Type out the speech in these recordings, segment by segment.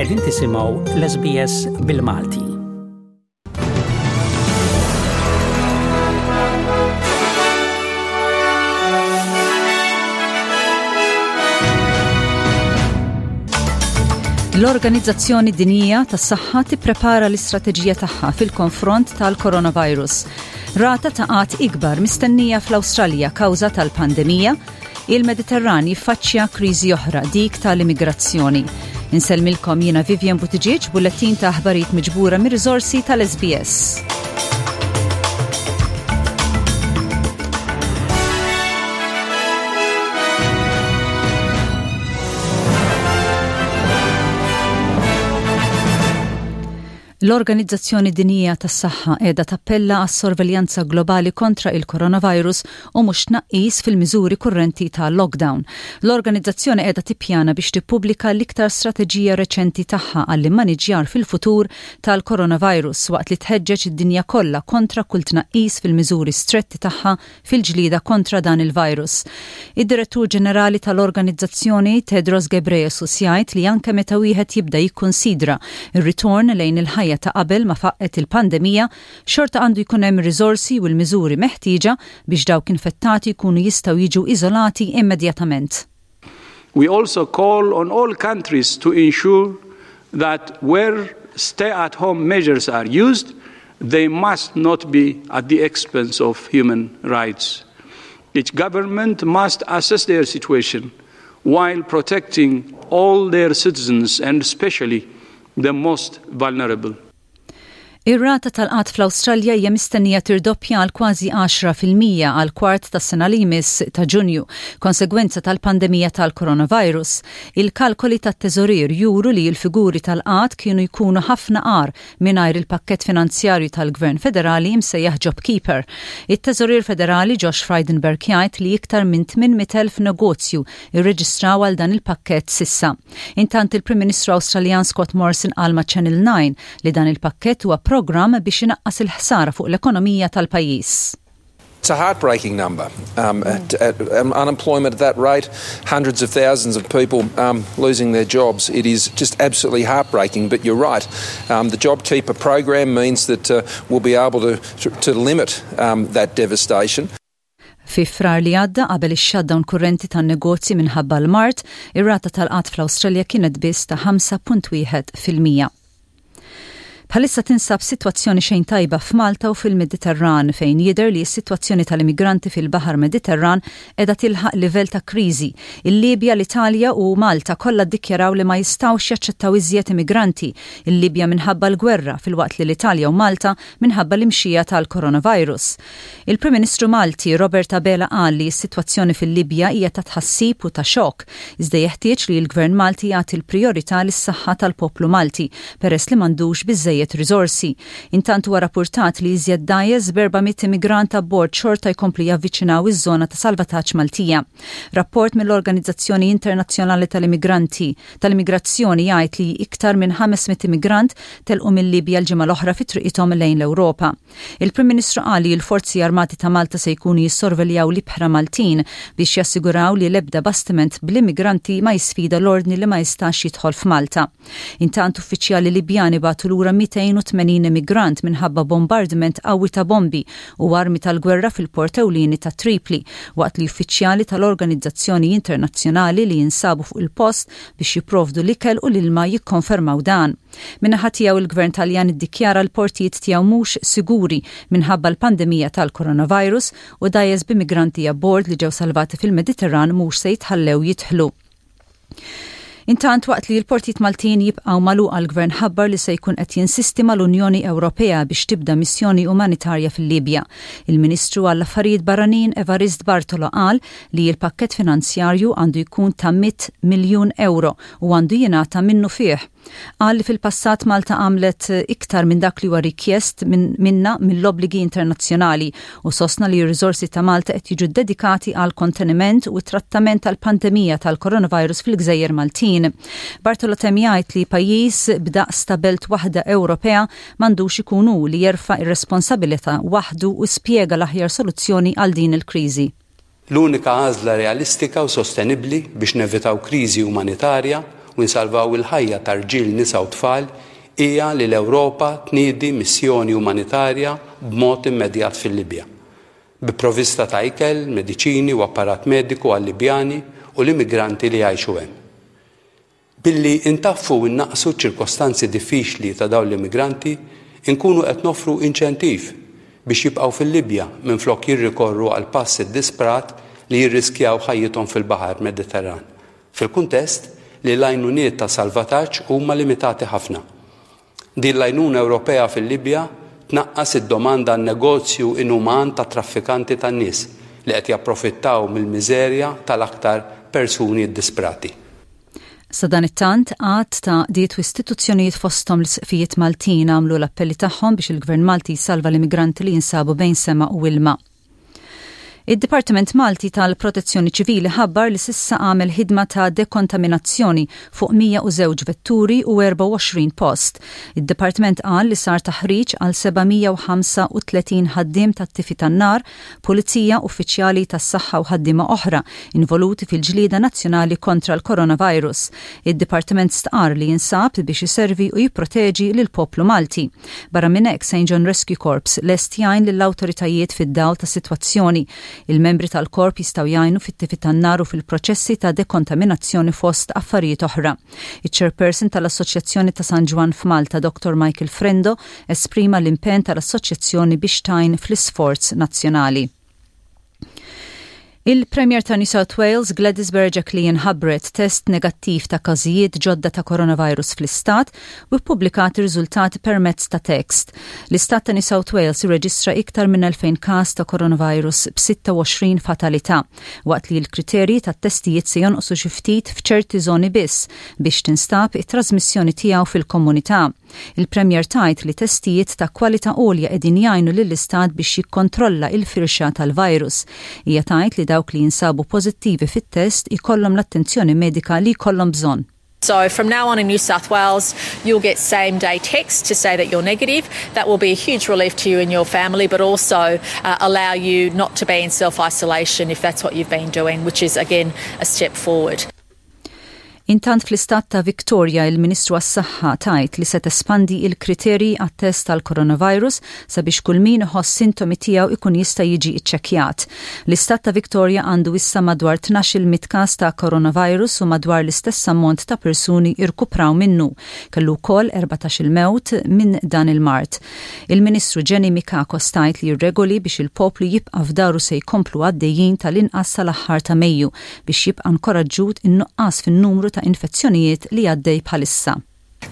Qegħdin tisimgħu l-SBS bil-Malti. L-Organizzazzjoni Dinjija tas-Saħħa tipprepara l-istrateġija tagħha fil-konfront tal-coronavirus. Rata ta' qgħad ikbar mistennija fl-Awstralja kawża tal-pandemija, il-Mediterran jiffaċċja kriżi oħra dik tal-immigrazzjoni. Insellmilkom jiena Vivian Buttigieg, bullettin ta' aħbarijiet miġbura mir-riżorsi tal-SBS. L-Organizzazzjoni Dinjija tas-Saħħa qiegħda tappella għas-sorveljanza globali kontra il-coronavirus u mhux tnaqqis fil-miżuri kurrenti ta' lockdown. L-organizzazzjoni qiegħda tippjana biex tippubblika l-iktar strateġija reċenti tagħha għall-immaniġjar fil-futur tal-coronavirus waqt li tħeġġeġ id-dinja kollha kontra kull tnaqqis fil-miżuri stretti tagħha fil-ġlieda kontra dan il-virus. Id-Direttur Ġenerali tal-organizzazzjoni Tedros Ghebreyesus jgħid li anke meta wieħed jibda jikkunsidra r-ritorn lejn il-ħajja ta' qabel ma faqqgħet il-pandemija, xorta għandu jkun hemm ir-riżorsi u l-miżuri meħtieġa biex dawk infettati jkunu jistgħu jiġu iżolati immedjatament. We also call on all countries to ensure that where stay-at-home measures are used, they must not be at the expense of human rights. Each government must assess their situation while protecting all their citizens and especially the most vulnerable. Ir-rata tal-qgħad fl-Awstralja hija mistennija tirdoppja għal kważi 10% għall-kwart tas-sena li jmiss ta' Ġunju, konsegwenza tal-pandemija tal-coronavirus. Il-kalkoli tat-Teżorier juru li l-figuri tal-qgħad kienu jkunu ħafna agħar mingħajr il-pakkett finanzjarju tal-Gvern Federali imsejjaħ JobKeeper. It-Teżorier Federali Josh Frydenberg jgħid li iktar minn 800,000 negozju rreġistraw għal dan il-pakkett s'issa. Intant il-Prim Ministru Awstraljan Scott Morrison qal ma' Channel 9 li dan il-pakkett huwa programm biex inaqqas il-ħsara fuq l-ekonomija tal-pajjiż. It's a heartbreaking number. Um, at, at, um, unemployment at that rate, hundreds of thousands of people um, losing their jobs. It is just absolutely heartbreaking, but you're right. Um, the JobKeeper program means that uh, we'll be able to, to, to limit um, that devastation. Fi Frar li għadda, qabel ix-shutdown kurrenti tan-negozji minħabba l-mard, ir-rata tal-qgħad fl-Awstralja kienet biss ta' 5.1%. Bħalissa tinsab sitwazzjoni xejn tajba f'Malta u fil-Mediterran fejn jidher li s-sitwazzjoni tal-immigranti fil-Baħar Mediterran qiegħda tilħaq livell ta' kriżi. Il-Libja, l-Italja u Malta kollha ddikjaraw li ma jistgħux jaċċettaw iżjed immigranti, il-Libja minħabba l-gwerra filwaqt li l-Italja u Malta minħabba l-imxija tal-coronavirus. Il-Prim Ministru Malti Robert Abela qal li s-sitwazzjoni fil-Libja hija ta' tħassib u ta' xokk, iżda jeħtieġ li l-Gvern Malti jagħti l-prijorità lis-saħħa tal-poplu Malti peress li m'għandux biżżejjed riżorsi. Intant huwa rappurtat li iżjed dgħajjes b'400 immigrant abbord xorta jkomplu javviċinaw iż-żona ta' salvataġġ Maltija. Rapport mill-Organizzazzjoni Internazzjonali tal-Immigranti tal-Immigrazzjoni jgħid li iktar minn 500 immigrant telqu mil-Libja l-ġimgħa l-oħra fi triqithom lejn l-Ewropa. Il-Prim Ministru qal li l-Forzi Armati ta' Malta se jkunu jissorveljaw l-ibħra Maltin biex jassiguraw li l-ebda bastiment bl-immigranti ma jisfida l-ordni li ma jistax jidħol f'Malta. Intant uffiċjali Libjani bagħtu lura 280 immigrant minħabba bombardiment qawwi ta' bombi u armi tal-gwerra fil-port ewlieni ta' Tripli waqt li uffiċjali tal-organizzazzjoni internazzjonali li jinsabu fuq il-post biex jipprovdu l-ikel u l-ilma jikkonfermaw dan. Min-naħa tiegħu il-Gvern Taljan iddikjara l-portijiet tiegħu mhux siguri minħabba l-pandemija tal-coronavirus u dgħajjes b'immigranti abbord li ġew salvati fil-Mediterran mhux se jitħallew jidħlu. Intant waqt li l-portijiet Maltin jibqgħu magħluqa l-Gvern ħabbar li se jkun qed jinsisti mal-Unjoni Ewropea biex tibda missjoni umanitarja fil-Libja. Il-Ministru għall-Affarijiet Barranin Evarist Bartolo qal li l-pakkett finanzjarju għandu jkun ta' 100 miljun ewro u għandu jingħata minnufih. Qal li fil-passat Malta għamlet iktar minn dak li huwa rikjest minnha mill-obbligi internazzjonali u sostna li r-riżorsi ta' Malta qed jiġu ddedikati għal konteniment u t-trattament tal-pandemija tal-coronavirus fil-gżejjer Maltin. Bartolo temm jgħid li pajjiż b'daqs ta' belt waħda Ewropea m'għandux ikun hu li jerfa' r-responsabilità waħdu u spjega l-aħjar soluzzjoni għal din il-kriżi. L-unika għażla realistika u sostenibbli biex nevitaw kriżi umanitarja. u nsalvaw il-ħajja ta' rġiel, nisa u tfal hija li l-Ewropa tniedi missjoni umanitarja b'mod immedjat fil-Libja, bi provvista ta' ikel, mediċini u apparat mediku għal-Libjani u l-immigranti li jgħixu hemm. Billi ntaffu u nnaqqsu ċ-ċirkostanzi diffiċli ta' dawn l-immigranti, inkunu qed noffru inċentiv biex jibqgħu fil-Libja minflok jirrikorru għall-pass iddisprat li jirriskjaw ħajjithom fil-baħar Mediterran, fil-kuntest li l-għajnuniet ta' salvataġġ huma limitati ħafna. Din l-għajnuna Ewropea fil-Libja tnaqqas id-domanda għan-negozju inuman tat-traffikanti tan-nies li qed japprofittaw mill-miżerja tal-aktar persuni ddisprati. Sadanittant, għadd ta' għaqdiet u istituzzjonijiet fosthom l-Isqfijiet Maltin għamlu l-appelli tagħhom biex il-Gvern Malti jsalva l-immigranti li jinsabu bejn sema u ilma. Id-Dipartiment Malti tal-Protezzjoni Ċivili ħabbar li s'issa għamel ħidma ta' dekontaminazzjoni fuq 102 vetturi u 24 post. Id-Dipartiment qal li sar taħriġ għal 735 ħaddiem tat-tifi tan-nar, pulizija, uffiċjali tas-saħħa u ħaddiema oħra involuti fil-ġlieda nazzjonali kontra l-coronavirus. Id-Dipartiment stqarr li jinsab biex iservi u jipproteġi lill-poplu Malti. Barra minn hekk, St John Rescue Corps lest jgħin lill-awtoritajiet fid-dawl tas-sitwazzjoni. Il-membri tal-korp jistgħu jgħinu fit-tifi tan-nar u fil-proċessi ta' dekontaminazzjoni fost affarijiet oħra. Iċ-Chairperson tal-Assoċjazzjoni ta' San Ġwann f'Malta, Dottor Michael Frendo, esprima l-impenn tal-assoċjazzjoni biex tgħin fl-isforz nazzjonali. Il-Premier ta' New South Wales, Gladys Berejiklian ħabbret test negattiv ta' każijiet ġodda ta' coronavirus fl-istat u ppubblikat ir-riżultati permezz ta' text. L-istat ta' New South Wales irreġistra iktar minn 2,000 każ ta' coronavirus b'26 fatalità, waqt li l-kriterji tat-testijiet se jonqsu xi ftit f'ċerti żoni biss biex tinstab it-trażmissjoni tiegħu fil-komunità. Il-Premier tgħid li testijiet ta' kwalità għolja qegħdin jgħinu lill-Istat biex jikkontrolla il-firxa tal-virus. Hija tgħid li dawk li jinsabu pożittivi fit-test ikollhom l-attenzjoni medika li jkollhom bżonn. So from now on in New South Wales, you'll get same day text to say that you're negative. That will be a huge relief to you and your family, but also uh, allow you not to be in self isolation if that's what you've been doing, which is again a step forward. Intant fl-istat ta' Victoria il-Ministru għas-Saħħa tgħid li se tespandi il-kriterji għat-test tal-coronavirus sabiex kull min iħoss sintomi tiegħu ikun jista' jiġi iċċekkjat. L-istat ta' Victoria għandu issa madwar 1,200 każ ta' coronavirus u madwar l-istess ammont ta' persuni irkupraw minnu. Kellu wkoll 14-il mewt minn dan il-mard. Il-Ministru Jenny Mikakos tgħid li r-regoli biex il-poplu jibqa' f'daru se jkomplu għaddejjin tal-inqas sal-aħħar ta' Mejju biex jibqa' nkoraġġut in-nuqqas fin-numru ta' infezzjonijiet li għaddej bħalissa.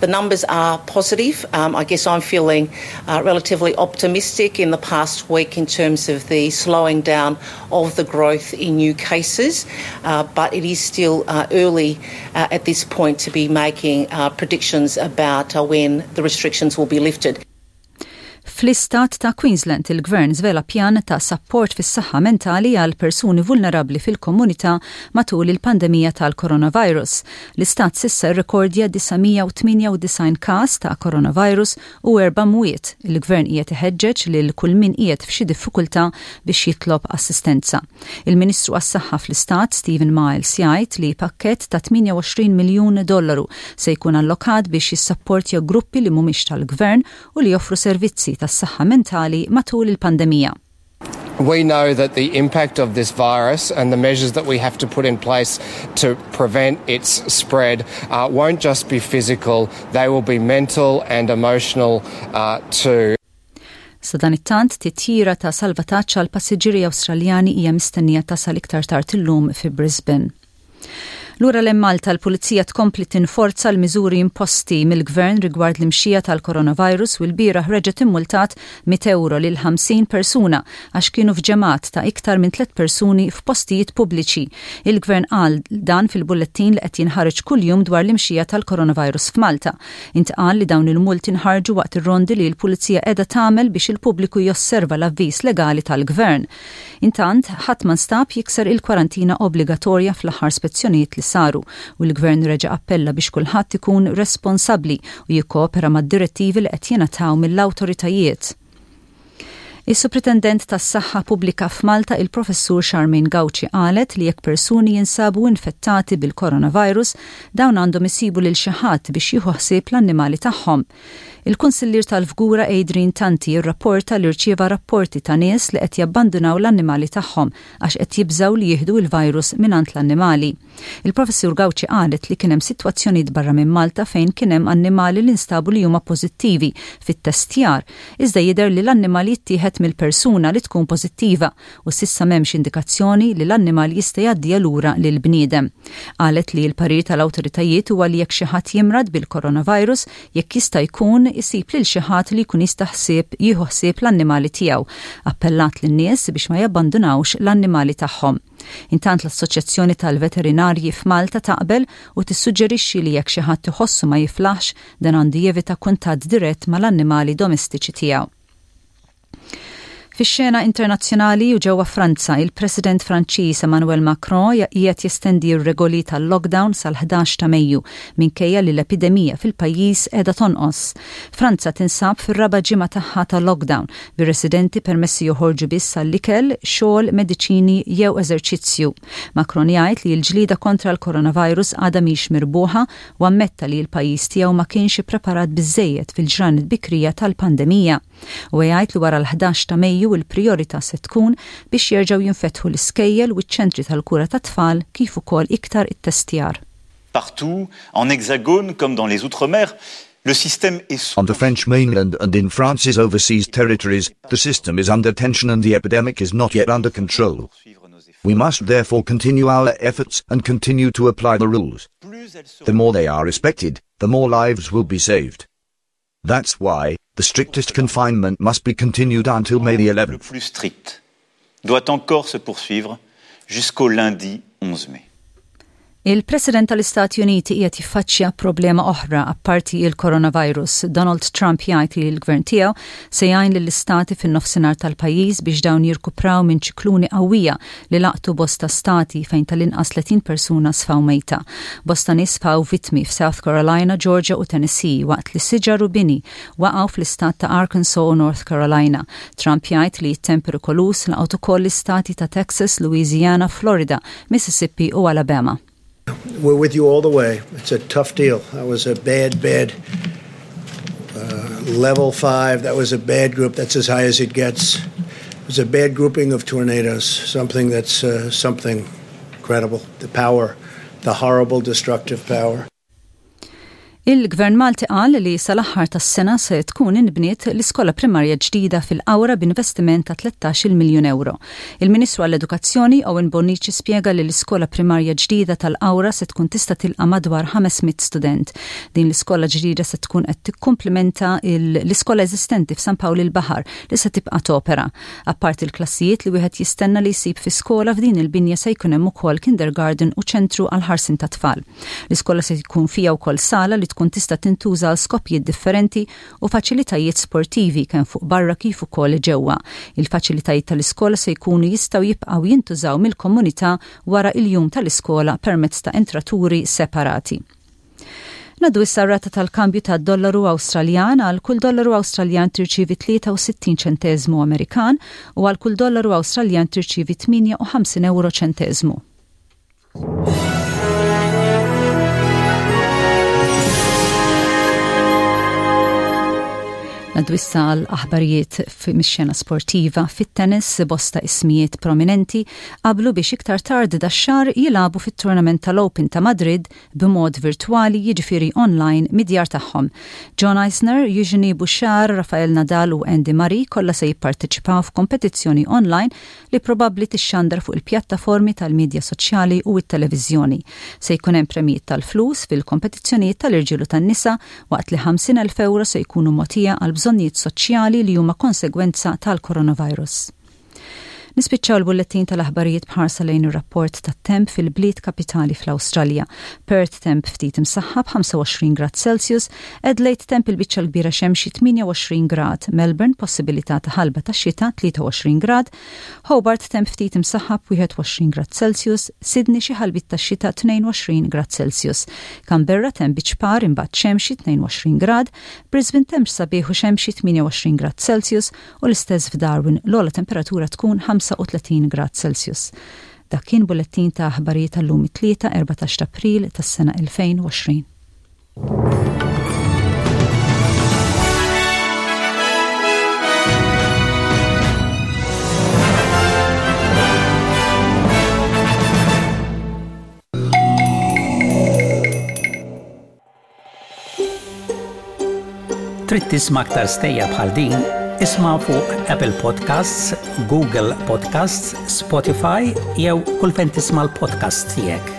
The numbers are positive. Um, I guess I'm feeling uh, relatively optimistic in the past week in terms of the slowing down of the growth in new cases, uh, but it is still uh, early uh, at this point to be making uh, predictions about uh, when the restrictions will be lifted. Fl-istat ta' Queensland, il-Gvern żvela pjan ta' sapport fis-saħħa mentali għal persuni vulnerabbli fil-komunità matul il-pandemija tal-coronavirus. L-istat s'issa rrekordja 998 każ ta' coronavirus u erba' mwiet. Il-Gvern qiegħed iħeġġeġ lil kull min qiegħed f'xi diffikultà biex jitlob assistenza. Il-Ministru għas-Saħħa fl-Istat, Steven Miles, jgħid li pakkett ta' 28 miljun dollaru se jkun allokat biex jissapportja gruppi li mhumiex tal-gvern u li joffru servizzi tas-saħħa mentali matul il-pandemija. We know that the impact of this virus and the measures that we have to put in place to prevent its spread uh, won't just be physical, they will be mental and emotional uh, too. Sadanittant, titjira ta' salvataġġ għal passiġġieri Awstraljani hija mistennija tasal iktar tard illum fi Brisbane. Lura lejn Malta l-Pulizija tkompli tinforza l-miżuri imposti mill-Gvern rigward l-imxija tal-coronavirus u lbieraħ reġgħet immultat mitt ewro lil 50 persuna għax kienu f'ġemgħat ta' iktar minn tliet persuni f'postijiet pubbliċi. Il-Gvern qal dan fil-bullettin li qed jinħareġ kuljum dwar l-imxija tal-coronavirus f'Malta. Intqal li dawn il-multi nħarġu waqt ir-rondi li l-Pulizija qiegħda tagħmel biex il-pubbliku josserva l-avviż legali tal-Gvern. Intant, ħadd ma nstab jikser il-kwarantina obbligatorja fl-aħħar spezzjonijiet li saru u l-Gvern reġa' appella biex kulħadd ikun responsabbli u jikkoopera mad-direttivi li qed jingħataw mill-awtoritajiet. Is-Supretendent tas-Saħħa Pubblika f'Malta il-Professur Charmaine Gauci qalet li jekk persuni jinsabu infettati bil-coronavirus, dawn għandhom isibu lil xi ħadd biex jieħu ħsieb l-annimali tagħhom. Il-Kunsillier tal-Fgura Adrian Tanti rrapporta li rċieva rapporti ta' nies li qed jabbandunaw l-annimali tagħhom għax qed jibżgħu li jieħdu il-virus mingħand l-annimali. Il-Professur Gauci qalet li kien hemm sitwazzjonijiet barra minn Malta fejn kien hemm annimali li nstabu li huma pożittivi fit-testjar, iżda jidher li l-annimal jittieħed mill-persuna li tkun pożittiva u s'issa m'hemmx indikazzjoni li l-annimal jista' jgħaddiha lura lill-bniedem. Qalet li l-parir tal-awtoritajiet huwa li jekk xi ħadd jimrad bil-coronavirus, jekk jista' jkun isib lil xi ħadd li jkun jista' ħsieb jieħu ħsieb l-annimali tiegħu. Appellat lin-nies biex ma jabbandunawx l-annimali tagħhom. Intant l-Assoċjazzjoni tal-Veterinarji f'Malta taqbel u tissuġġerixxi li jekk xi ħadd iħossu ma jiflaħx, dan għandu jevita kuntatt dirett mal-annimali domestiċi tiegħu. Fix-xena internazzjonali u ġewwa Franza, il-President Franċiż Emmanuel Macron qiegħed jestendi r-regoli tal-lockdown sal-11 ta' Mejju minkejja li l-epidemija fil-pajjiż qiegħda tonqos. Franza tinsab fir-raba' ġimgħa tagħha ta' lockdown bir-residenti permessi joħorġu biss għall-ikel, xogħol, mediċini jew eżerċizzju. Macron jgħid li l-ġlieda kontra l-coronavirus għadha mhix mirbuħa u ammetta li l-pajjiż tiegħu ma kienx ippreparat biżżejjed fil-ġranet bikrija tal-pandemija. Huwa jgħid li wara l-11 ta' Mejju l-prijorità se tkun biex jerġgħu jinfetħu l-iskejjel u ċ-ċentri tal-kura tat-tfal kif ukoll iktar ittestjar. Partout, en Hexagone comme dans les Outre-mer, le système est sous On the French mainland and in France's overseas territories, the system is under tension and the epidemic is not yet under control. We must therefore continue our efforts and continue to apply the rules. The more they are respected, the more lives will be saved. That's why the strictest confinement must be continued until May the 11th. Le plus strict doit encore se poursuivre jusqu'au lundi 11 mai. Il-President tal-Istati Uniti qiegħed jiffaċċja problema oħra apparti il-coronavirus. Donald Trump jgħid li l-gvern tiegħu se jgħin lill-istati fin-nofsinhar tal-pajjiż biex dawn jirkupraw minn ċikluni qawwija li laqtu bosta stati fejn tal-inqas 30 persuna sfaw mejta. Bosta nies sfaw vittmi f'South Carolina, Georgia u Tennessee waqt li siġar u bini waqgħu fl-istat ta' Arkansas u North Carolina. Trump jgħid li t-temp perikoluż laqgħet ukoll l-istati ta' Texas, Louisiana, Florida, Mississippi u Alabama. We're with you all the way. It's a tough deal. That was a bad, bad uh, level five. That was a bad group. That's as high as it gets. It was a bad grouping of tornadoes, something that's uh, something incredible. The power, the horrible destructive power. Il-Gvern Malti qal li sal-aħħar tas-sena se tkun inbniet l-iskola primarja ġdida fil-Qawra b'investiment ta' 13-il miljun ewro. Il-Ministru għall-Edukazzjoni Owen Bonnici spjega li l-iskola primarja ġdida tal-Qawra se tkun tista' tilqa' madwar 500 student. Din l-iskola ġdida se tkun qed tikkumplimenta l-iskola eżistenti f'San Pawl il-Baħar li se tibqa' topera. Apparti l-klassijiet li wieħed jistenna li jsib fi skola f'din il-binja se jkun hemm ukoll kindergarten u ċentru għall-ħarsien tat-tfal. L-iskola se jkun fiha wkoll sala li tkun tista' tintuża għal skopijiet differenti u faċilitajiet sportivi kemm fuq barra kif ukoll ġewwa. Il-faċilitajiet tal-iskola se jkunu jistgħu jibqgħu jintużaw mill-komunità wara il-jum tal-iskola permezz ta' entraturi separati. Ngħaddu issa r-rata tal-kambju tad-dollaru Awstraljan għal kull dollaru Awstraljan tirċievi 63 ċenteżmu Amerikan u għal kull dollaru Awstraljan tirċievi 58 euro ċenteżmu. Ngħaddu issa għal aħbarijiet mix-xena sportiva fit-tennis bosta ismijiet prominenti qablu biex iktar tard dax-xahar jilagħbu fit-tournament tal-Open ta' Madrid b'mod virtwali jiġifieri online mid-djar tagħhom. John Isner, Eugenie Bouchard, Rafael Nadal u Andy Murray kollha se jipparteċipaw f'kompetizzjoni online li probabbli tixxandar fuq il-pjattaformi tal-midja soċjali u t-televiżjoni. Se jkun hemm premjijiet tal-flus fil-kompetizzjonijiet tal-irġiel u tan-nisa waqt li 50,000 ewro se jkunu mogħtija għal bżonnijiet soċjali li huma konsegwenza tal-coronavirus. Nispiċċaw l-bullettin tal-aħbarijiet b'ħarsa lejn ir-rapport tat-temp fil-bliet kapitali fl-Awstralja. Perth temp ftit imsaħħab 25 grad Celsius, Adelaide temp il-biċċa l-kbira xemxi 28 grad, Melbourne possibilità ta' ħalba ta' xita 23 grad, Hobart temp ftit imsaħħab 21 grad Celsius, Sydney xi ħalbiet ta' xita 22 grad Celsius, Canberra temp bi ċpar imbagħad xemxi 22 grad, Brisbane temp sabiħ u xemxi 28 grad Celsius u l-istess f'Darwin l-ogħla temperatura tkun 35 grad Celsius. Dak kien bullettin ta' aħbarijiet tal-lum it-Tlieta 14 ta' April tas-sena 2020. Trid tisma' aktar stejjer bħal din? Isma' fuq Apple Podcasts, Google Podcasts, Spotify jew kull fejn tisma' l-podcasts tiegħek.